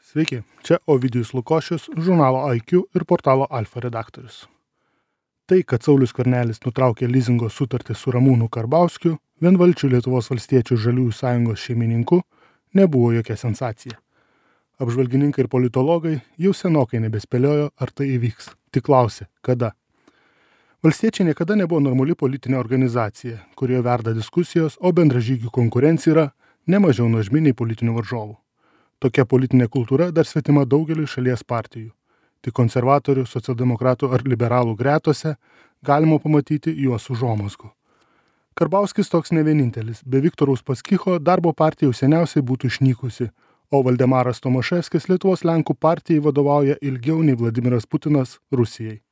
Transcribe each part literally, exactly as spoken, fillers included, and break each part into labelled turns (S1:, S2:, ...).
S1: Sveiki, čia Ovidijus Lukošius, žurnalo I Q ir portalo Alfa redaktorius. Tai, kad Saulius Skvernelis nutraukė lizingo sutartį su Ramūnu Karbauskiu, vienvalčiu Lietuvos valstiečių žaliųjų sąjungos šeimininku, nebuvo jokia sensacija. Apžvalgininkai ir politologai jau senokai nebespėliojo, ar tai įvyks. Tik klausė, kada. Valstiečiai niekada nebuvo normali politinė organizacija, kurioje verda diskusijos, o bendražygių konkurencija yra nemažiau nuožminiai politinių varžovų. Tokia politinė kultūra dar svetima daugeliui šalies partijų. Tik konservatorių, socialdemokratų ar liberalų gretose galima pamatyti juos užuomazgų. Karbauskis toks ne vienintelis. Be Viktoro Uspaskicho darbo partija jau seniausiai būtų išnykusi, o Valdemaras Tomaševskis Lietuvos Lenkų partijai vadovauja ilgiau nei Vladimiras Putinas Rusijai.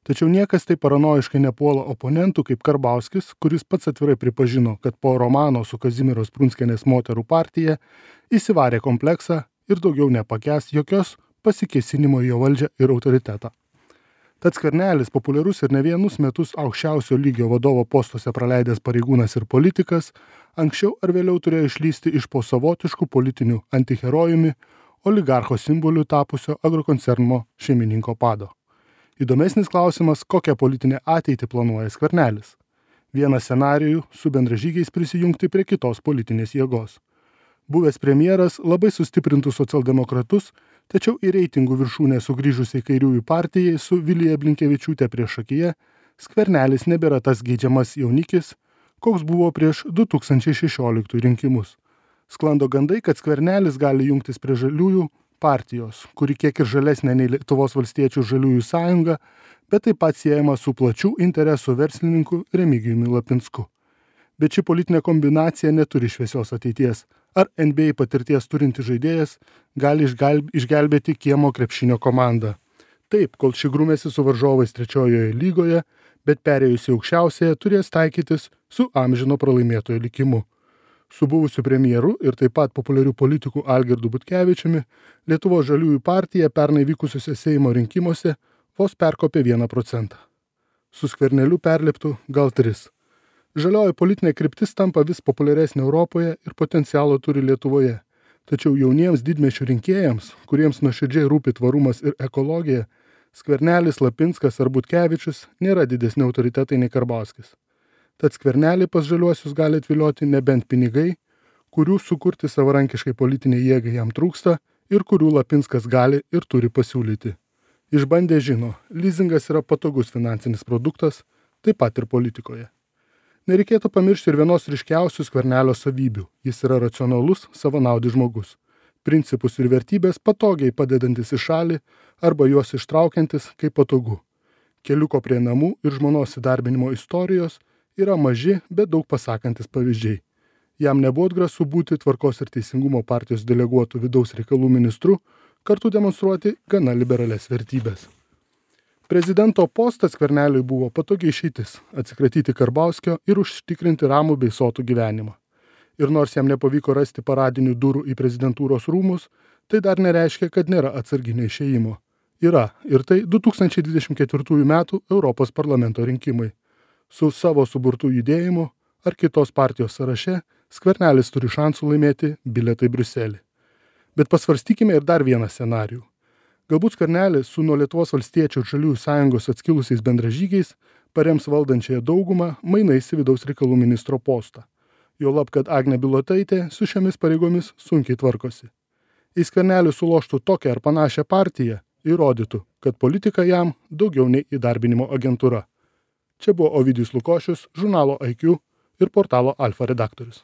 S1: Tačiau niekas taip paranojiškai nepuola oponentų kaip Karbauskis, kuris pats atvirai pripažino, kad po romano su Kazimieros Prunskienės moterų partija įsivarė kompleksą ir daugiau nepakęs jokios pasikėsinimo į jo valdžią ir autoritetą. Tad Skvernelis, populiarus ir ne vienus metus aukščiausio lygio vadovo postuose praleidęs pareigūnas ir politikas, anksčiau ar vėliau turėjo išlysti iš po savotiškų politinių antiherojumi oligarcho simboliu tapusio agrokoncerno šeimininko pado. Įdomesnis klausimas, kokią politinę ateitį planuoja Skvernelis. Vienas scenarijų su bendražygiais prisijungti prie kitos politinės jėgos. Buvęs premjeras labai sustiprintų socialdemokratus, tačiau į reitingų viršūnę sugrįžusiai kairiųjų partijai su Vilija Blinkevičiūtė priešakyje, Skvernelis nebėra tas geidžiamas jaunikis, koks buvo prieš du tūkstančiai šešioliktųjų rinkimus. Sklando gandai, kad Skvernelis gali jungtis prie žaliųjų partijos, kuri kiek ir žalesnė nei Lietuvos valstiečių žaliųjų sąjunga, bet taip pat siejama su plačių interesų verslininku Remigijumi Lapinsku. Bet ši politinė kombinacija neturi šviesios ateities. Ar N B A patirties turinti žaidėjas gali išgelbėti kiemo krepšinio komandą? Taip, kol ši grūmėsi su varžovais trečiojoje lygoje, bet perėjusi aukščiausiąją turės taikytis su amžino pralaimėtojo likimu. Su buvusiu premjeru ir taip pat populiarių politikų Algirdu Butkevičiumi Lietuvos žaliųjų partija pernai vykusiuose Seimo rinkimuose vos perkopė vieną procentą. Su Skverneliu perliptų gal tris. Žalioji politinė kryptis tampa vis populiaresnė Europoje ir potencialo turi Lietuvoje. Tačiau jauniems didmiesčių rinkėjams, kuriems nuoširdžiai rūpi tvarumas ir ekologija, Skvernelis, Lapinskas ar Butkevičius nėra didesni autoritetai nei Karbauskis. Tad Skvernelį pas žaliuosius gali atvilioti nebent pinigai, kurių sukurti savarankiškai politinė jėga jam trūksta ir kurių Lapinskas gali ir turi pasiūlyti. Išbandę žino, lizingas yra patogus finansinis produktas, taip pat ir politikoje. Nereikėtų pamiršti ir vienos ryškiausių Skvernelio savybių. Jis yra racionalus, savanaudis žmogus. Principus ir vertybės patogiai padedantis į šalį arba juos ištraukiantis kaip patogu. Keliuko prie namų ir žmonos įdarbinimo istorijos yra maži, bet daug pasakantis pavyzdžiai. Jam nebuvo atgrasu būti Tvarkos ir teisingumo partijos deleguotų vidaus reikalų ministru, kartu demonstruoti gana liberales vertybės. Prezidento postas Skverneliui buvo patogiai išeitis – atsikratyti Karbauskio ir užtikrinti ramų bei sotų gyvenimą. Ir nors jam nepavyko rasti paradinių durų į prezidentūros rūmus, tai dar nereiškia, kad nėra atsarginio išėjimo. Yra, ir tai du tūkstančiai dvidešimt ketvirtųjų metų Europos parlamento rinkimai. Su savo suburtų judėjimu ar kitos partijos sąraše Skvernelis turi šansų laimėti bilietą į Briuselį. Bet pasvarstykime ir dar vieną scenarijų. Galbūt Skvernelis su nuo Lietuvos valstiečių ir žaliųjų sąjungos atskilusiais bendražygiais parems valdančiąją daugumą mainais į vidaus reikalų ministro postą. Juolab, kad Agnė Bilotaitė su šiomis pareigomis sunkiai tvarkosi. Jei Skvernelis suloštų tokią ar panašią partiją, įrodytų, kad politika jam daugiau nei įdarbinimo agentūra. Čia buvo Ovidijus Lukošius, žurnalo I Q ir portalo Alfa redaktorius.